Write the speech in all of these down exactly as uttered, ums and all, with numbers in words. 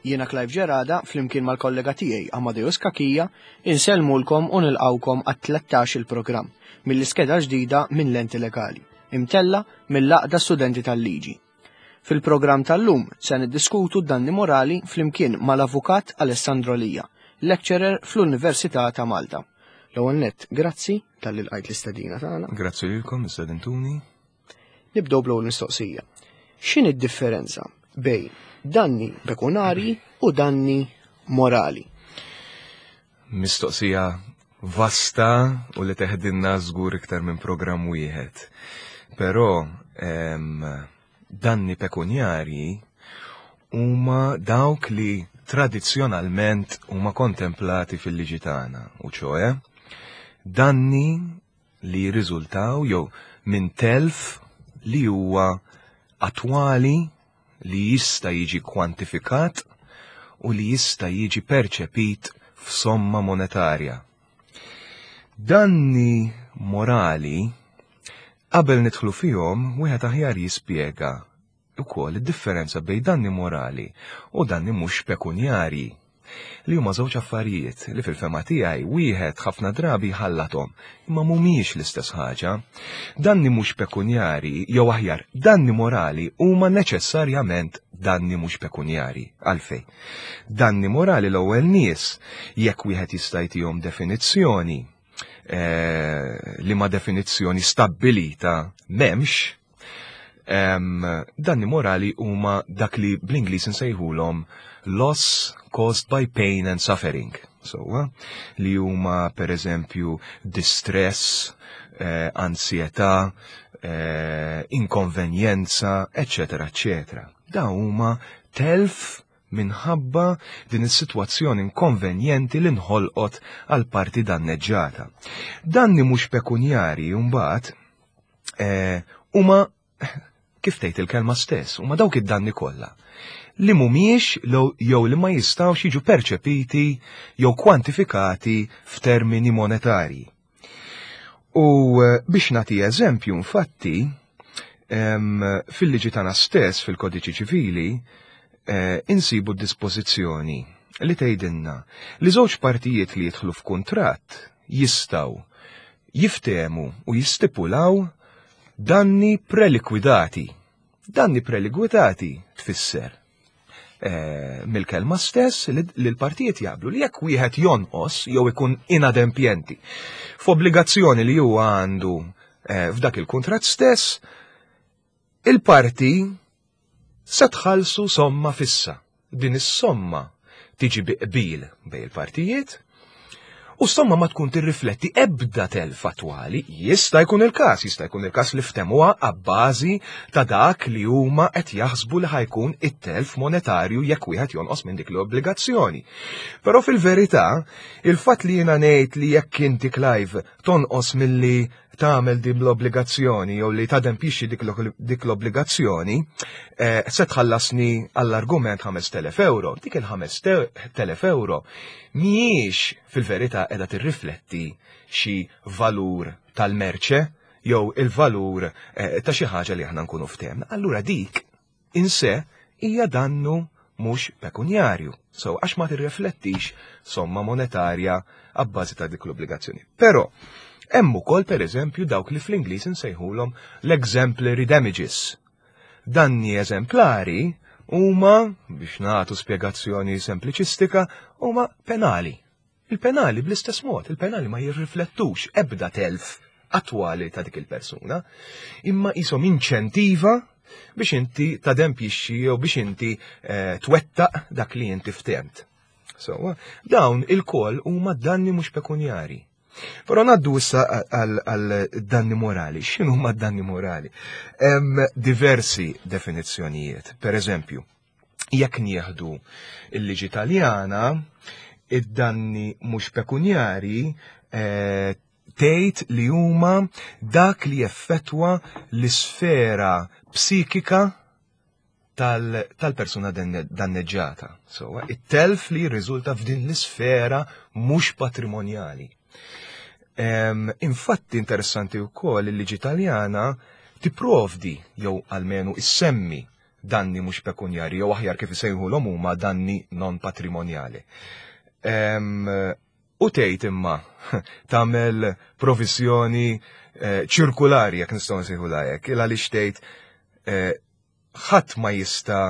Jiena Clive Gerada flimkien mal-kollega tiegħi Amadeus Cachia insellmulkom u nilqawkom għat-tlettax il-programm mill-iskeda ġdida minn Lenti Legali, imtella mill-Għaqda Studenti tal-Liġi. Fil-programm tal-lum se niddiskutu danni morali flimkien mal-Avukat Alessandro Lia, lecturer fl-Università ta' Malta. L-ewwel nett, grazzi talli lqajt l-istedina tagħna. Grazzi lilkom, istedintuni. Nibdew bl-ewwel mistoqsija. X'inhi d-differenza bejn danni pekunarji u danni morali? Mistoqsija vasta u li teħdinna żgur iktar minn programm wieħed. Però em, danni pekunjarji huma dawk li tradizzjonalment huma kontemplati fil-liġi tagħna, u ċoe danni li jirriżultaw jew minn telf li huwa attwali, li jista' jiġi kwantifikat u li jista' jiġi perċepit f'somma monetarja. Danni morali, qabel nidħlu fihom, wieħed aħjar jispjega wkoll id-differenza bejn danni morali u danni mhux pekunjarji, li huma żewġ affarijiet li fil-fehma tiegħi wieħed ħafna drabi ħallathom, imma mhumiex l-istess ħaġa. Danni mhux pekunjarji, jew aħjar, danni morali huma neċessarjament danni mhux pekunjarji. Għalfejn? Danni morali, l-ewwel nies, jekk wieħed jista' jtihom definizzjoni, eh, li ma definizzjoni stabbilita m'hemmx, em, danni morali huma dak li bl-Ingliż insejħulhom loss caused by pain and suffering. So, eh, li huma per eżempju distress, eh, ansjetà, eh, inkonvenjenza, eccetera, eccetera. Da huma telf minħabba din is-sitwazzjoni inkonvenjenti li nħolqot għal parti danneġġata. Danni mhux pekunjari mbagħad eh, huma, kif tgħid il-kelma stess, huma dawk id-danni kollha li mhumiex jew li ma jistgħux jiġu perċepiti jew kwantifikati f'termini monetarji. U eh, biex nagħti eżempju, infatti, fil-liġi tagħna stess, fil-Kodiċi Ċivili, eh, insibu dispożizzjoni li tgħidilna li żewġ partijiet li jidħlu f'kuntratt jistgħu jiftehmu u jistipulaw danni prelikwidati. Danni prelikwidati tfisser eh, mill-kelma stess li l-partijiet jaqblu li jekk wieħed jonqos jew ikun inadempjenti f'obbligazzjoni li huwa għandu eh, f'dak il-kuntratt stess, il-parti se tħallsu somma fissa. Din is-somma tiġi bi qbil bejn il-partijiet u somma ma tkun tirrifletti ebda telf attwali. Jista' jkun il-każ, jista' jkun il-każ li ftemuha abbażi ta' dak li huma qed jaħsbu li ħa jkun it-telf monetarju jekk wieħed jonqos minn dik l-obbligazzjoni. Però fil-verità, il-fatt li jiena ngħid li jekk inti, Clive, tonqos milli tagħmel din l-obbligazzjoni jew li tadempixxi dik l-obbligazzjoni, eh, se tħallasni għall-argument ħamest elef euro. Dik il-ħamest elef euro mhijiex fil-verità qiegħda tirrifletti xi valur tal-merċe jew il-valur eh, ta' xi ħaġa li aħna nkunu ftehemna. Allura dik in se hija dannu mhux pekunjarju. So, għax ma tirriflettix somma monetarja abbażi ta' dik l-obbligazzjoni. Però hemm ukoll, pereżempju, dawk li fl-Ingliż insejħulhom l-exemplary damages. Danni eżemplari huma, biex nagħtu spjegazzjoni sempliċistika, huma penali. Il-penali bl-istess mod, il-penali ma jirriflettux ebda telf attwali ta' dik il-persuna, imma jisom inċentiva biex inti tadempixxi jew biex inti eh, twettaq dak li inti ftemt. So, dawn il-koll huma danni mhux pekunjari. Però ngħaddu issa għal danni morali. X'inhu huma danni morali? Hemm diversi definizzjonijiet. Per eżempju, jekk nieħdu il-liġi Taljana, id-danni mhux pekunjari eh, tgħid li huma dak li jeffettwa l-isfera psikika tal-persuna danneġġata. So, it-telf li jirriżulta f'din l-isfera mhux patrimonjali. Infatti interessanti wkoll il-liġi Taljana tipprovdi jew almenu issemmi Danni mhux pekunjari, jew aħjar kif isejħulhom huma danni non patrimonjali. U tgħid imma tagħmel provizjoni eh, ċirkulari, jekk nistgħu nsejħulha hekk, il għaliex tgħid eh, ħadd ma jista'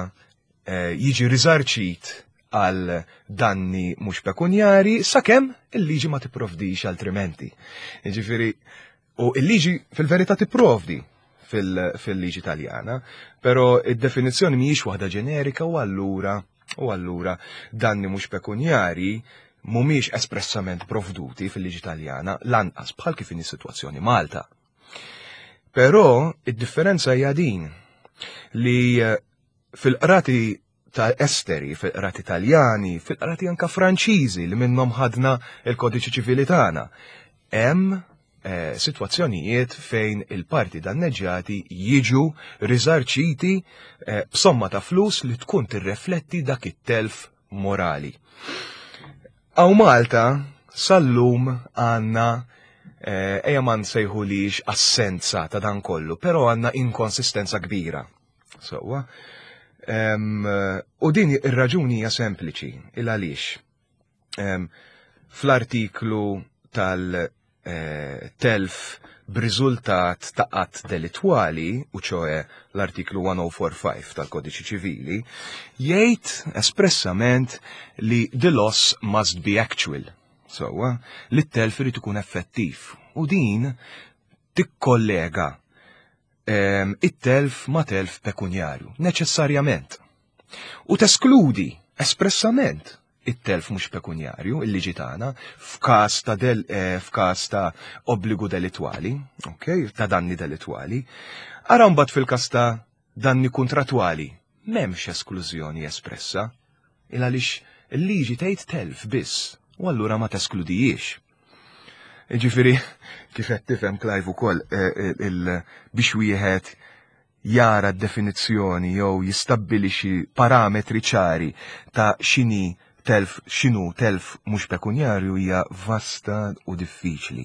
eh, jiġi riżarċit għal danni mhux pekunjari sakemm il-liġi ma tipprovdix altrimenti. Jiġifieri, u il-liġi fil-verità tipprovdi fil-liġi Taljana, però id-definizzjoni mhijiex waħda ġenerika u allura u allura danni mhux pekunjari mhumiex espressament provduti fil-liġi Taljana, lanqas bħal kif inhi sitwazzjoni Malta. Però id-differenza hija din li eh, fil-qrati ta' esteri, fil-qrati Taljani, fil-qrati anka Franċiżi li minnhom ħadna il-kodiċi ċivili tagħna, hemm eh, sitwazzjonijiet fejn il-parti danneġġjati jiġu riżarċiti eh, b'somma ta' flus li tkun tirrefletti dak it-telf morali. Hawn Malta sal-lum għandna eh, ejja ma nsejħulix assenza ta' dan kollu, però għandna inkonsistenza kbira. Sewwa. U din ir-raġuni hija sempliċi, il għaliex. Fl-artiklu tal-telf b'riżultat ta' att delitwali, u ċoe l-artiklu elf u ħamsmija u ħamsa tal-Kodiċi Ċivili, jgħid espressament li the loss must be actual. Sewwa, li t-telf irid ikun effettiv. U din tikkollega it-telf ma' telf pekunjarju, neċessarjament. U teskludi espressament it-telf mhux pekunjarju, il-liġi tagħna, f'każ ta' del eh, f'każ ta' obbligu delitwali, ok, ta' danni delitwali. Ara mbagħad fil-każ ta' danni kontratwali, m'hemmx esklużjoni espressa, il għaliex il-liġi tgħid telf biss, u allura ma teskludijiex. Ġifieri, kif qed tifhem, Clive, ukoll eh, eh, biex wieħed jara d-definizzjoni jew jistabbilixi parametri ċari ta' x'inhi telf, x'inhu telf mhux pekunjarju, hija vasta u diffiċli.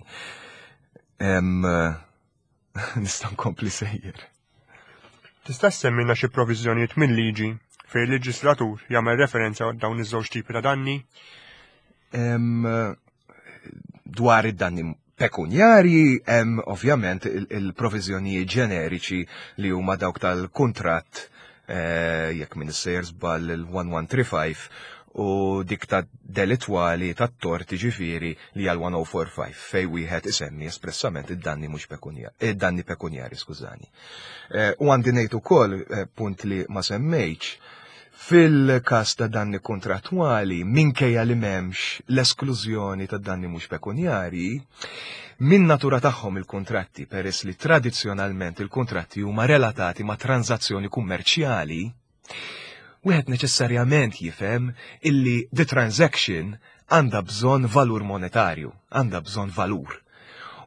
Nista' nkompli sejjer. Tista' semmina xi proviżjonijiet minn liġi fejn il-leġislatur jagħmel referenza għal dawn iż-żewġ tipi ta' danni? Dwar id-danni pekunjarji hemm ovvjament il-proviżjonijiet ġeneriċi li huma dawk tal-kuntratt, eh, jekk m'iniex sejjer żball il-elf u mija u ħamsa u tletin u dik ta' delitwali ta' torti, ġifieri li għal elf u ħamsmija u ħamsa u erbgħin, fej wieħed isemmi espressament id-danni mhux pekunjari, id-danni pekunjari, skużani. Eh, u għandi ngħid ukoll eh, punt li ma semmejtx, fil-każ ta' danni kontrattwali, minkejja li m'hemmx l-esklużjoni ta' danni mhux pekunjari, min natura tagħhom il-kontratti, peress li tradizzjonalment il-kontratti huma relatati ma' tranzazzjoni kummerċjali, wieħed neċessarjament jifhem illi the transaction għandha bżonn valur monetarju, għandha bżonn valur.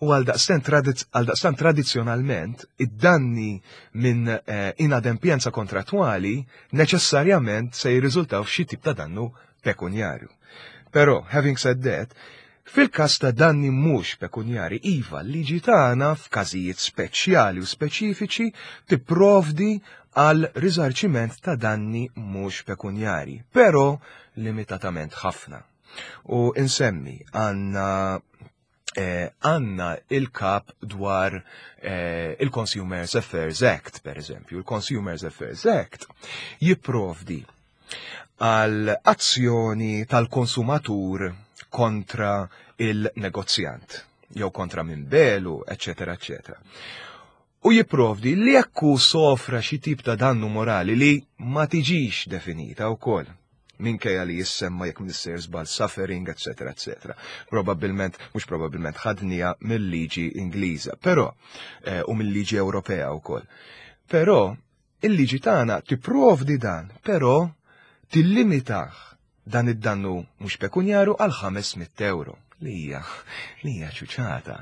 U għal daqstant tradizzjonalment id-danni minn eh, inadempjenza kontrattwali neċessarjament se jirriżultaw f'xi tip ta' dannu pekunjarju. Però, having said that, fil-każ ta' danni mhux pekunjari, iva, liġi tagħna f'każijiet speċjali u speċifiċi tipprovdi għal riżarċiment ta' danni mhux pekunjari, però limitatament ħafna. U insemmi għandna eh, għandna il-kap dwar eh, il-Consumers Affairs Act, per eżempju. Il-Consumers Affairs Act jipprovdi għal azzjoni tal-konsumatur kontra il-negozjant, jew kontra minn biegħlu, eccetera, eccetera. U jipprovdi li jekk hu sofra xi tip ta' dannu morali li ma tiġix definita wkoll, minkejja li jissemma, jekk m'iniex sejjer żball, suffering, eccetera, eccetera. Probabilment, mhux probabilment, ħadnieha mill-liġi Ingliża, però eh, u mill-liġi Ewropea wkoll. Però il-liġi tagħna tipprovdi dan, però tillimitah dan id-dannu mhux pekunjaru għal ħames mitt euro li hija li hija ċuċata.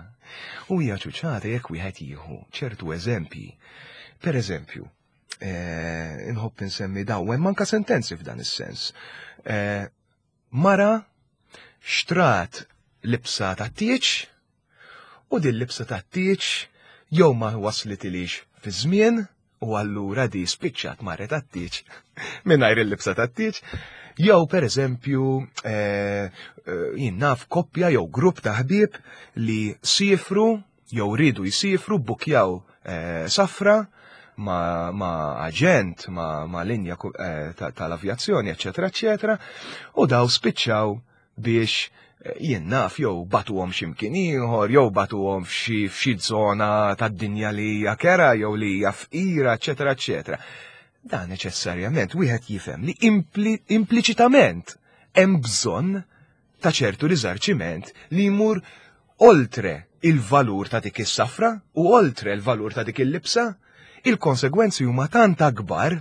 U hija ċuċata jekk wieħed jieħu ċertu eżempji. Per eżempju, eh, inħobb insemmi daw, hemm anka sentenzi f'dan is-sens. Eh, mara xtrat libsa ta' tieġ u din libsa ta' tieġ jew ma waslitilix fi żmien U allura di spiċċat marret għat-tieġ mingħajr il-libsa tat-tieġ. Jew per eżempju eh, eh, jien naf koppja jew grupp ta' ħbieb li sifru jew ridu jsifru bukjaw eh, safra ma, ma aġent, ma, ma linja tal-avjazzjoni, eccetera, eccetera, u daw spiċċaw biex jien naf jew batuhom x'imkien ieħor, jew batuhom f'xi f'xi żona tad-dinja li hija kera jew li hija fqira, eċetera, eċetera. Dan neċessarjament wieħed jifhem li impli, impliċitament hemm bżonn ta' ċertu riżarċiment li jmur oltre il-valur ta' dik is-safra u oltre il-valur ta' dik il-libsa, il-konsegwenzi huma tant akbar,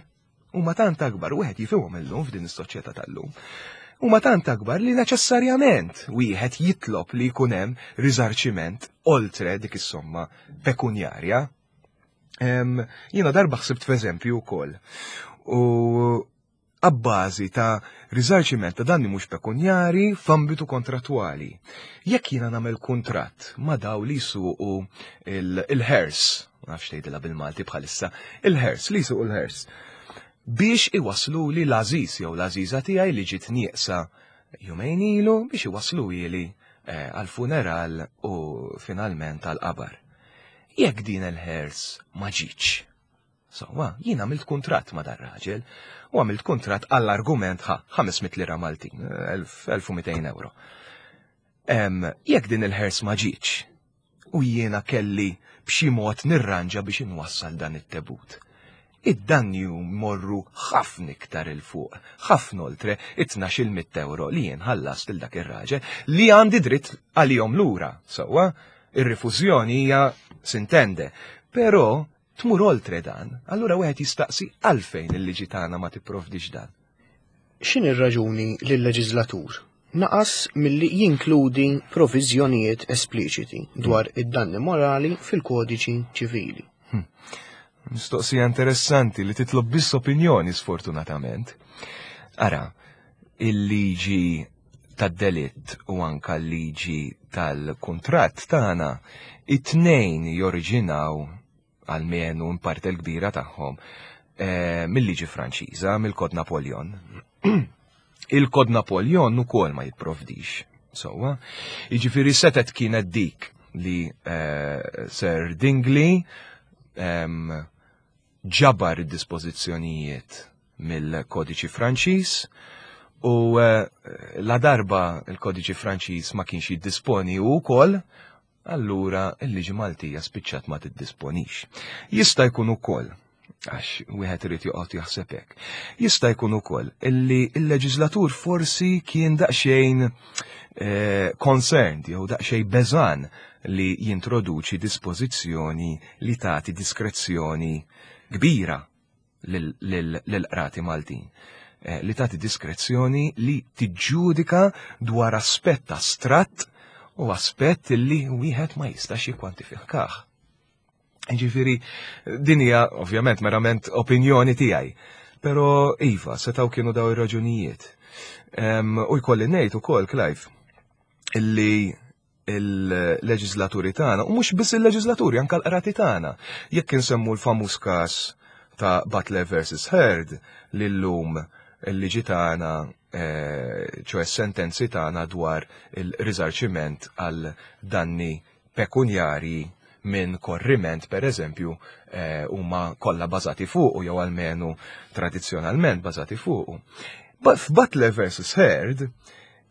huma tant akbar, wieħed jifhimhom illum f'din is-soċjetà tal-lum huma tant akbar li neċessarjament wieħed jitlob li jkun hemm riżarċiment oltre dik is-somma pekunjarja. Jiena darba ħsibt f'eżempju wkoll. U abbażi ta' riżarċiment ta' danni mhux pekunjari f'ambitu kontrattwali. Jekk jiena nagħmel kuntratt ma' daw li jsuqu il-hearse, ma nafx tgħidilha bil-Malti bħalissa, il-hearse li jsuqu l-hearse biex iwaslu li l-għażiż jew l-għażiża tiegħi li ġiet nieqsa jumejn ilu biex iwaslu ili għal-funeral u finalment għal-qabar. Jekk din il-hearse ma ġietx. Sewwa, jien għamilt kuntratt ma dar-raġel u għamilt kuntratt għall-argument ħa ħames mitt lira Maltin, elf u mitejn euro. Jekk din il-hearse ma ġietx u jiena kelli b'xi mod nirranġa biex inwassal dan it-tebut, id-danni morru ħafna iktar 'il fuq, ħafna oltre it-tnax-il mitt euro li jien ħallast lil dak ir-raġel li għandi dritt għalihom lura. Sewwa, ir-rifużjoni hija s'intende, però tmur oltre dan, allura wieħed jistaqsi għalfejn il-liġi tagħna ma tipprovdix dan. X'inhi r-raġuni li l-leġiżlatur naqas milli jinkludi proviżjonijiet espliċiti dwar id-danni morali fil-kodiċi ċivili? Hmm. Mistoqsija interessanti li titlob biss opinjoni, sfortunatament. Ara, il-liġi tad-delitt u anka l-liġi tal-kuntratt tagħna, it-tnejn joriġinaw, almenu in parte l-kbira tagħhom, eh, mill-liġi Franċiża, mill-Kod Napoleon. Il-Kod Napoleon ukoll ma jipprovdix. Sewwa, jiġifieri setet kienet dik li eh, Sir Dingley ġabar id-dispożizzjonijiet mill-kodiċi Franċiż u eh, la darba il-kodiċi Franċiż ma kienx jiddisponi u wkoll, allura il-liġi Maltija spiċċat ma tiddisponix. Jista' jkun ukoll, għax wieħed irid joqgħod jaħseb hekk, jista' jkun ukoll illi il-leġislatur forsi kien daqsxejn eh, concerned jew daqsxejn beżan li jintroduċi dispożizzjoni li tagħti diskrezzjoni kbira lill-qrati Maltin. Eh, li tagħti diskrezzjoni li tiġġudika dwar aspett astratt u aspett li wieħed ma jistax jikkwantifikah. Ġifieri, din hija ovvjament merament opinjoni tiegħi. Però iva, setgħu kienu daw ir-raġunijiet. U jkolli ngħid ukoll, Clive, illi il-leġislaturi tagħna, u mhux biss il-leġislaturi, anke l-qrati tagħna. Jekk insemmu l-famuż każ ta' Butler versus Heard, li llum il-liġi tagħna, eh, ċoè sentenzi tagħna dwar il-riżarċiment għal danni pekunjari minn korriment, per eżempju, eh, huma kollha bażati fuq jew almenu tradizzjonalment bażati fuq. F'Butler versus Heard,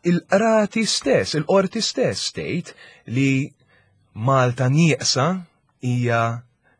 il-qrati stess, il-qorti stess tgħid li Malta nieqsa hija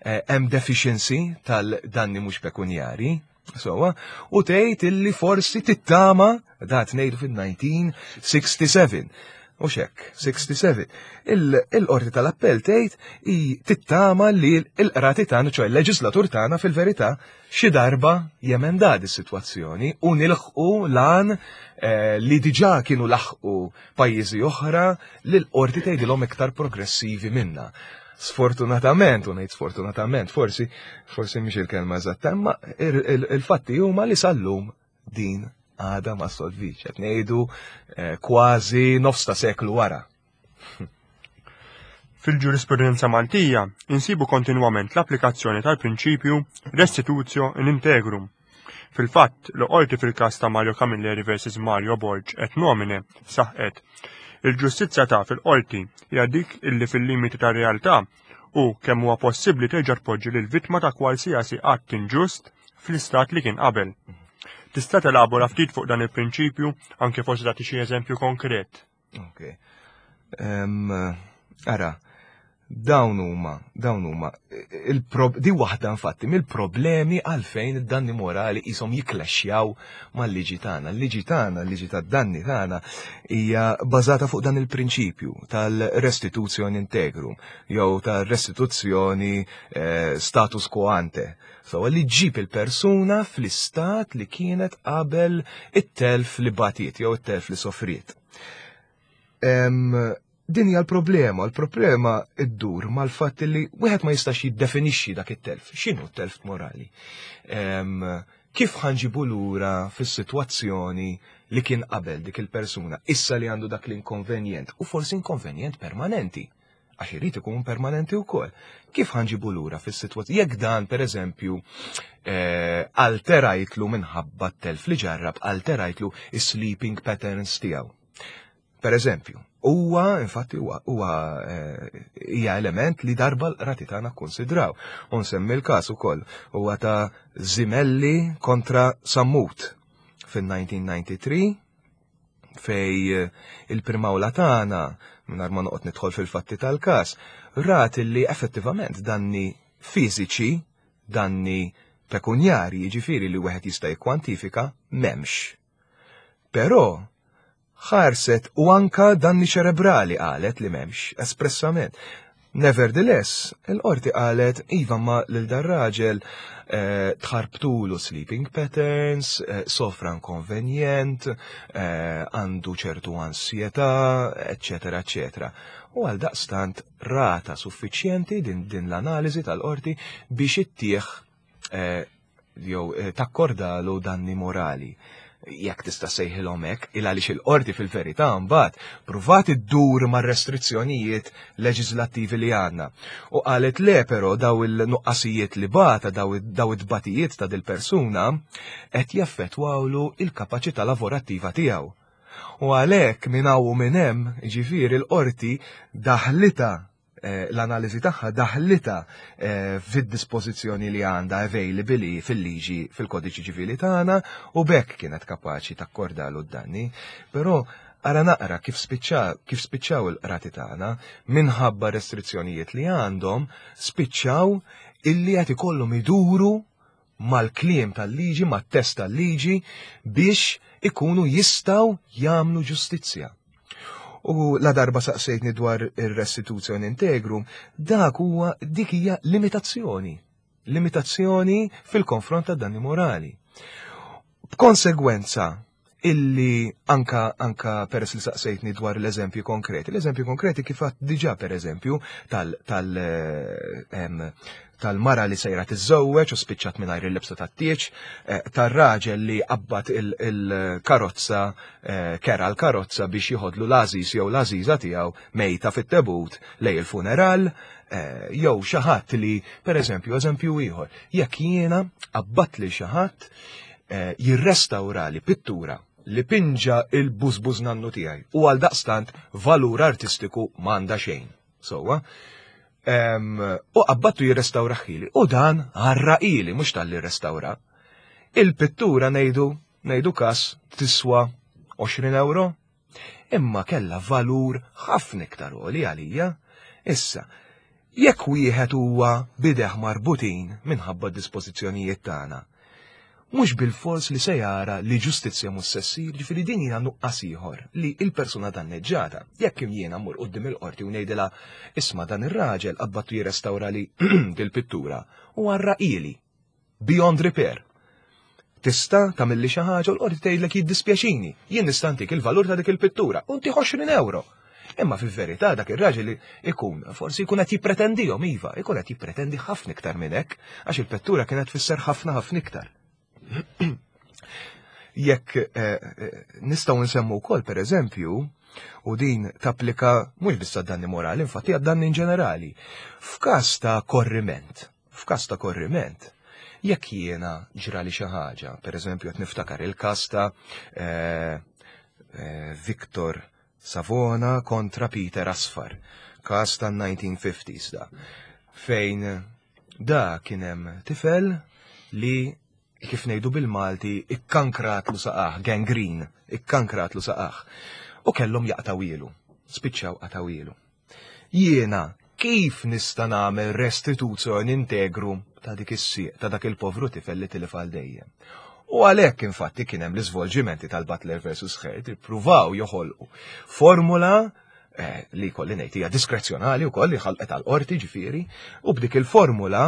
eh, hemm deficiency tal-danni mhux pekunjari, sewwa, u tgħid illi forsi tittama, dat ngħidu fil-elf disa' mija u sitta u sebgħin. U xek, sitta u sebgħin. Il-qorti tal-appell tgħid tittama li l-qrati tagħna, ċoè il-leġislatur tagħna fil-verità, xi darba jemenda dis-sitwazzjoni u nilħqu lan eh, li diġà kienu laħqu pajjiżi oħra li l-qorti tgħidilhom iktar progressivi minna. Sfortunatament, u ngħid sfortunatament, forsi forsi mhix il-kelma eżatta, imma il-fatti huma li sal-lum din għada ma solvix, qed ngħidu eh, kważi nofs ta' seklu wara. Fil-ġurisprudenza Maltija insibu kontinwament l-applikazzjoni tal-prinċipju restitutio in integrum. Fil-fatt, l-qorti fil-każ ta' Mario Camilleri versus Mario Borg et nomine saħqet il-ġustizzja ta' fil-qorti hija dik illi fil-limiti tar-realtà u kemm huwa possibbli terġa' tpoġġi lil vittma ta' kwalsiasi att inġust fl-istat li kien qabel. Tista' telabora ftit fuq dan il-prinċipju anke forsi tagħti xi eżempju konkret. Ok. Em, Ara, dawn huma, dawn huma, di waħda infatti mill-problemi għalfejn id-danni morali qishom jiklaxxjaw mal-liġi tagħna. Il-liġi tagħna, il-liġi tad-danni tagħna hija bażata fuq dan il-prinċipju tal-restituzzjoni integrum jew tal-restituzzjoni eh, status quo ante. So, li ġib il-persuna fl-istat li kienet qabel it-telf li batiet jew it-telf li sofriet. Em, din hija l-problema, l-problema iddur mal-fatt li wieħed ma jistax jiddefinixxi dak it-telf. X'inhu t-telf morali? Em, kif ħa nġibu lura fis-sitwazzjoni li kien qabel dik il-persuna, issa li għandu dak l-inkonvenjent, u forsi inkonvenjent permanenti, għax irid ikun permanenti wkoll. Kif ħa nġibu lura fis-sitwazzjoni? Jekk dan, per eżempju, eh, alterajtlu minħabba t-telf li ġarrab, alterajtlu is-sleeping patterns tiegħu. Per eżempju, huwa infatti huwa huwa eh, hija element li darba l-qrati tagħna kkonsidraw. U nsemmi l-każ ukoll huwa ta' Zimelli kontra Sammut fin-elf disa' mija u tnejn u disgħin fej eh, il-primawla tagħna mingħajr ma noqgħod nidħol fil-fatti tal-każ, rat li effettivament danni fiżiċi, danni pekunjari, jiġifieri li wieħed jista' jikkwantifika, m'hemmx. Però ħarset u anka danni ċerebrali qalet li m'hemmx, espressament. Nevertheless, il-qorti qalet iva ma lil dar-raġel eh, tħarbtulu sleeping patterns, eh, sofra inkonvenjent, eh, għandu ċertu ansjetà, eccetera, eccetera. U għal daqstant rata suffiċjenti din, din l-analiżi tal-qorti biex ittieħ eh, jew eh, takkordalu danni morali jekk tista' sejħilhom hekk, il għaliex il-qorti fil-verità mbagħad pruvat iddur mar-restrizzjonijiet leġislattivi li għandna. U qalet le però daw il-nuqqasijiet li bata, daw daw it-tbatijiet ta' dil-persuna qed jaffettwawlu il-kapaċità lavorattiva tiegħu. U għalhekk minn hawn u minn hemm, jiġifieri l-qorti daħlita eh, l-analiżi tagħha daħlita eh, fid-dispożizzjoni li għandha available fil-liġi fil-kodiċi ċivili tagħna u b'hekk kienet kapaċi takkordalu d-danni. Però ara naqra kif spiċċa kif spiċċaw il-qrati tagħna minħabba restrizzjonijiet li għandhom spiċċaw illi qed ikollhom iduru mal-kliem tal-liġi, mat-test tal-liġi biex ikunu jistgħu jagħmlu ġustizzja. U la darba saqsejtni dwar ir-restituzzjoni integrum, dak huwa dik hija limitazzjoni. Limitazzjoni fil-konfront ta' danni morali. B'konsegwenza illi anka anka peress li saqsejtni dwar l-eżempju konkreti. L-eżempju konkreti kif għadt diġà per eżempju tal tal eh, em, tal-mara li sejra tiżżewweġ u spiċċat mingħajr il-libsa tat-tieġ, eh, tar-raġel li qabbat il-karozza, eh, kera l-karozza biex jieħodlu l-għażiż jew l-għażiża tiegħu mejta fit-tebut lejn il-funeral, eh, jew xi ħadd li, per eżempju, eżempju ieħor, jekk jiena qabbat li xi ħadd eh, jirrestawrali pittura li pinġa il-bużbuż nannu tiegħi u għal daqstant valur artistiku m'għandha xejn. Sowa, Em, u qabbattu jirrestawrahieli u dan għarraqhieli mhux talli rrestawra. Il-pittura ngħidu, ngħidu kas tiswa għoxrin euro, imma kella valur ħafna iktar għoli għalija. Issa, jekk wieħed huwa b'idejh marbutin minħabba dispożizzjonijiet tagħna, mhux bil-fors li se jara li ġustizzja mhux se ssir, ġifieri din hija nuqqas ieħor li il-persuna danneġġata. Jekk jiena mmur quddiem il-qorti u ngħidilha isma' dan ir-raġel qabbattu jirrestawrali dil-pittura u għarraqhieli beyond repair. Tista' tagħmilli xi ħaġa u l-qorti tgħidlek jiddispjaċini, jien nista' ntik il-valur ta' dik il-pittura u ntih għoxrin euro. Imma fil-verità dak ir-raġel ikun forsi jkun qed jippretendihom iva, ikun qed jippretendi ħafna iktar minn hekk, għax il-pittura kienet tfisser ħafna ħafna iktar. Jekk eh, eh, nistgħu nsemmu wkoll pereżempju, u din tapplika mhux biss għad-danni morali, infatti għad-danni in ġenerali. F'każ ta' korriment, f'każ ta' korriment, jekk jiena ġrali xi ħaġa, pereżempju qed niftakar il-każ ta' eh, eh, Victor Savona kontra Peter Asfar, każ ta' nineteen fifties da, fejn da kien hemm tifel li, kif ngħidu bil-Malti, ikkankratlu saqajh, gangrene, ikkankratlu saqajh. U kellhom jaqtgħuhielu, spiċċaw qatgħuhielu. Jiena kif nista' nagħmel restituzzjoni integrum ta' dik is-sieq ta' dak il-povru tifel li tilef għal dejjem? U għalhekk infatti kien hemm l-iżvolġimenti tal-Butler versus Heard, ippruvaw joħolqu formula eh, li kolli ngħid hija diskrezzjonali wkoll li ħalqet għal qorti ġifieri, u b'dik il-formula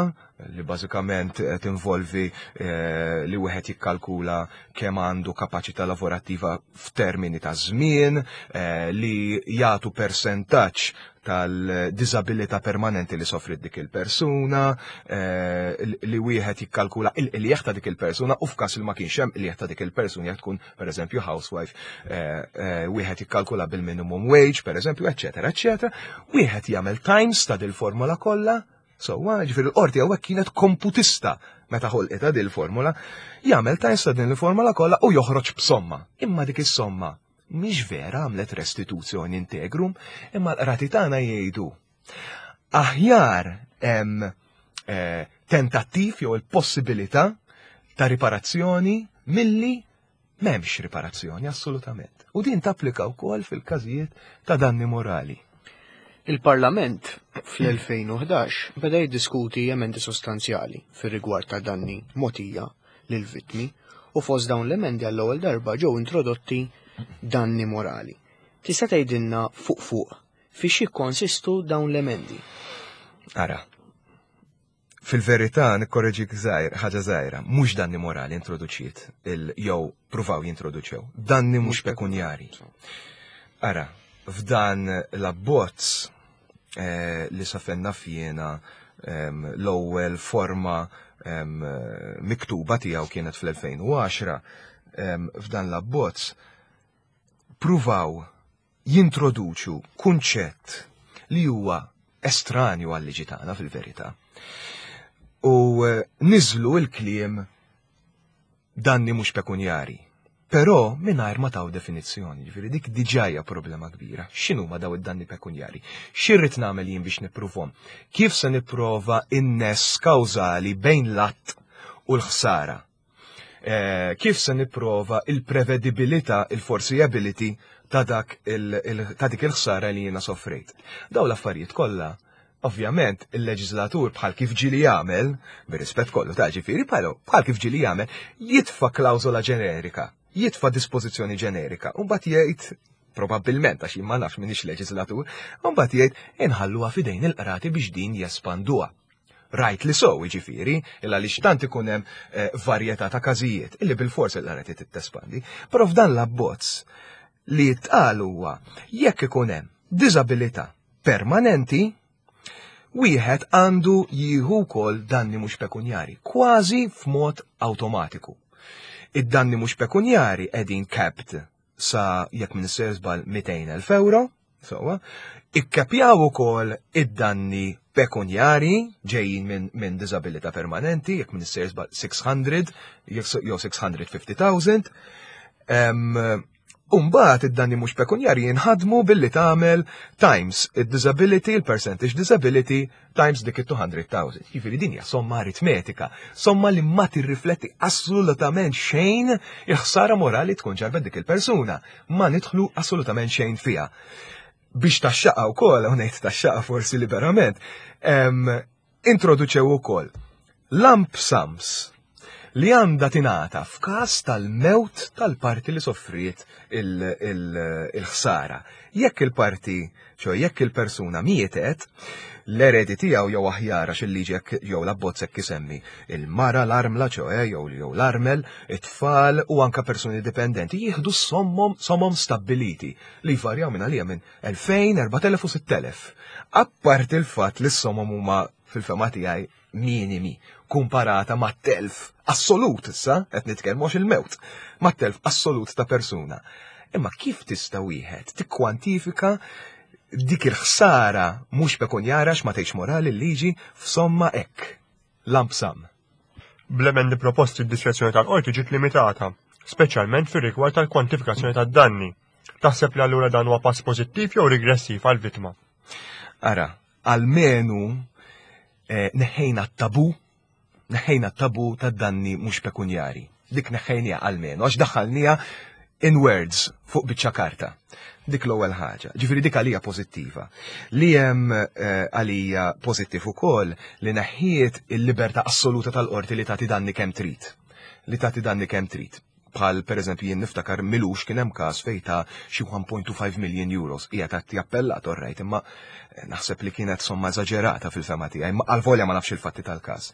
li bażikament eh, tinvolvi eh, li wieħed jikkalkula kemm għandu kapaċità lavorattiva f'termini ta' żmien, eh, li jagħtu persentaġġ tal-diżabilità permanenti li soffrit dik il-persuna, eh, li wieħed jikkalkula il-qligħ ta' dik il-persuna u f'każ li ma kienx hemm qligħ ta' dik il-persuna, jekk tkun pereżempju housewife, eh, eh, wieħed jikkalkula bil-minimum wage, pereżempju, eċetera, eċetera. Wieħed jagħmel times ta' dil-formula kollha. So, ġifieri l-qorti hawnhekk kienet komputista meta ħolqita dil-formula, jagħmel times ta' din il-formula kollha u joħroġ b'somma. Imma dik is-somma mhix vera għamlet restituzzjoni integrum, imma l-qrati tagħna jgħidu aħjar hemm eh, tentattiv jew il-possibilità ta' riparazzjoni milli m'hemmx riparazzjoni assolutament. U din tapplika wkoll fil-każijiet ta' danni morali. Il-Parlament fl-elfejn u ħdax beda jiddiskuti emendi sostanzjali fir-rigward ta' danni mogħtija lil vittmi u fost dawn l-emendi għall-ewwel darba ġew introdotti danni morali. Tista' tgħidilna fuq fuq fiex jikkonsistu dawn l-emendi? Ara, fil-verità nikkorreġik żgħir, ħaġa żgħira, mhux danni morali introduċiet il jew pruvaw jintroduċew, danni mhux pekunjari. Ara, f'dan l-abbozz eh, li safenna fjena em, l-ewwel forma em, miktuba tiegħu kienet fl-elfejn u għaxra, em, f'dan l-abbozz pruvaw jintroduċu kunċett li huwa estranju għal-liġi tagħna fil-verità. U eh, niżlu il-kliem danni mhux pekunjari. Però mingħajr ma taw definizzjoni, ġifieri dik diġà hija problema kbira. X'inhuma daw id-danni pekunjari? X'irrid nagħmel jien biex nippruvhom? Kif se nipprova in-ness kawżali bejn l-att u l-ħsara? Eh, kif se nipprova il-prevedibilità, il-foreseeability ta' dak il, il, ta' dik il-ħsara li jiena soffrejt? Daw l-affarijiet kollha, ovvjament, il-leġislatur, bħal kif ġieli jagħmel, bir-rispett kollu ta' ġifieri, bħal bħal kif ġieli jagħmel, jitfa' klawżola ġenerika, jitfa' dispożizzjoni ġenerika, u mbagħad jgħid probabbilment, għax jien ma nafx, minix leġislatur, u mbagħad jgħid inħalluha f'idejn il-qrati biex din jespanduha. Rajt li so, ġifieri, illa li xtant ikun hemm eh, varjetà ta' każijiet, illi bil-fors il-qrati tespandi. Però f'dan l-abbozz li jitqal huwa jekk ikun hemm diżabilità permanenti, wieħed għandu jieħu wkoll danni mhux pekunjari, kważi f'mod awtomatiku. Id-danni mhux pekunjari qegħdin capped sa, jekk minn żball, mitejn elf euro, sewwa, ikkapjaw ukoll id-danni pekunjari ġejjin minn min diżabilità permanenti, jekk minn żball sitt mija jew sitt mija u ħamsin elf. Em, Umbagħad id-danni mhux pekunjari jinħadmu billi tagħmel times id-disability, il-percentage disability times dik it-two hundred thousand. Jiġifieri din hija somma aritmetika, somma li ma tirrifletti assolutament xejn il-ħsara morali tkun ġarbet dik il-persuna. Ma nidħlu assolutament xejn fiha. Biex taxxaqa wkoll, u ngħid taxxaqa forsi liberament, em, introduċew ukoll lump sums li għandha tingħata f'każ tal-mewt tal-parti li soffriet il-ħsara. Jekk il-parti, ċo jekk il-persuna mietet, l-eredi tiegħu jew aħjar, għax il-liġi hekk jew l-abbozz hekk isemmi il-mara, l-armla, ċoe jew jew l-armel, it-tfal u anka persuni dipendenti jieħdu sommom somom stabbiliti li jvarjaw minn għalija minn elfejn, erbat elef u sitt elef. Apparti il-fatt li s-somom huma fil-fehma tiegħi minimi. Komparata ma' telf assolut issa, qed nitkellmu għax il-mewt, ma' telf assolut ta' persuna. Imma kif tista' wieħed tikkwantifika dik il-ħsara mhux pekunjara, ma tgħidx morali l-liġi, f'somma hekk, lump sum? Bl-emendi proposti, d-diskrezzjoni tal-qorti ġiet limitata, speċjalment fir-rigward tal-kwantifikazzjoni tad-danni. Taħseb li allura dan huwa pass pożittiv jew regressiv għal-vittma? Ara, almenu eh, neħħejna t-tabu, neħħejna t-tabu tad-danni mhux pekunjari. Dik neħħejnija almenu, għax daħħalnija in words fuq biċċa karta. Dik l-ewwel ħaġa. Ġifieri dik għalija pożittiva. Li hemm eh, għalija pożittiv ukoll li neħħiet il-libertà assoluta tal-qorti li tagħti danni kemm trid. Li tagħti danni kemm trid. Bħal per eżempju jien niftakar m'ilux kien hemm każ fejn ta xi one point two five million euros. Hija ta' appellat, orrajt, imma eh, naħseb li kienet somma eżaġerata fil-fehma tiegħi, imma għalvolja ma nafx il-fatti tal-każ.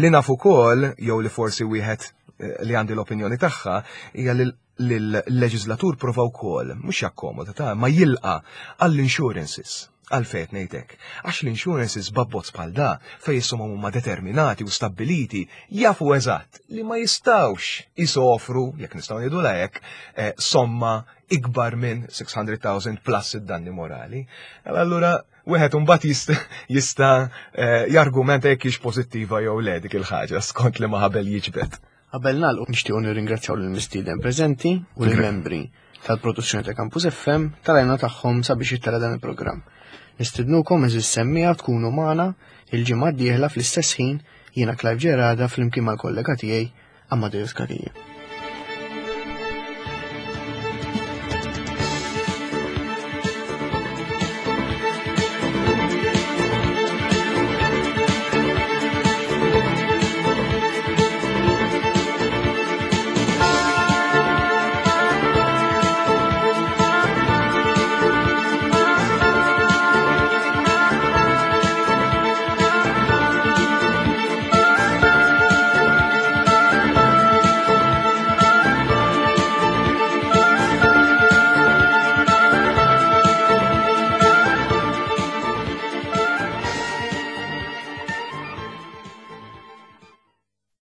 Li naf ukoll, jew li forsi wieħed eh, li għandi l-opinjoni tagħha, hija li l-leġislatur prova wkoll mhux jakkomoda ta' ma jilqa għall-insurances. Għalfejn ngħidlek? Għax l-insurances b'abbozz bħal da, fejn is-somom huma determinati u stabiliti, jafu eżatt li ma jistawx jisofru, jekk nistgħu ngħidu hekk, eh, somma ikbar minn sitt mitt elf plus id-danni morali. Allura wieħed imbagħad jista' jista' eh, jargumenta jekk hix pożittiva jew le dik il-ħaġa skont li ma ħabel jiġbed. Qabel nagħlqu, nixtiequ nirringrazzjaw lill-mistieden preżenti u lill-membri tal-produzzjoni ta' Campus F M tal-għajnuna tagħhom sabiex jittella' dan il-programm. Nistidnukom, għeżież semmiegħa, tkunu magħna il-ġimgħa d-dieħla fl-istess ħin. Jiena Clive Gerada flimkien mal-kollega tiegħi Amadeus Cachia.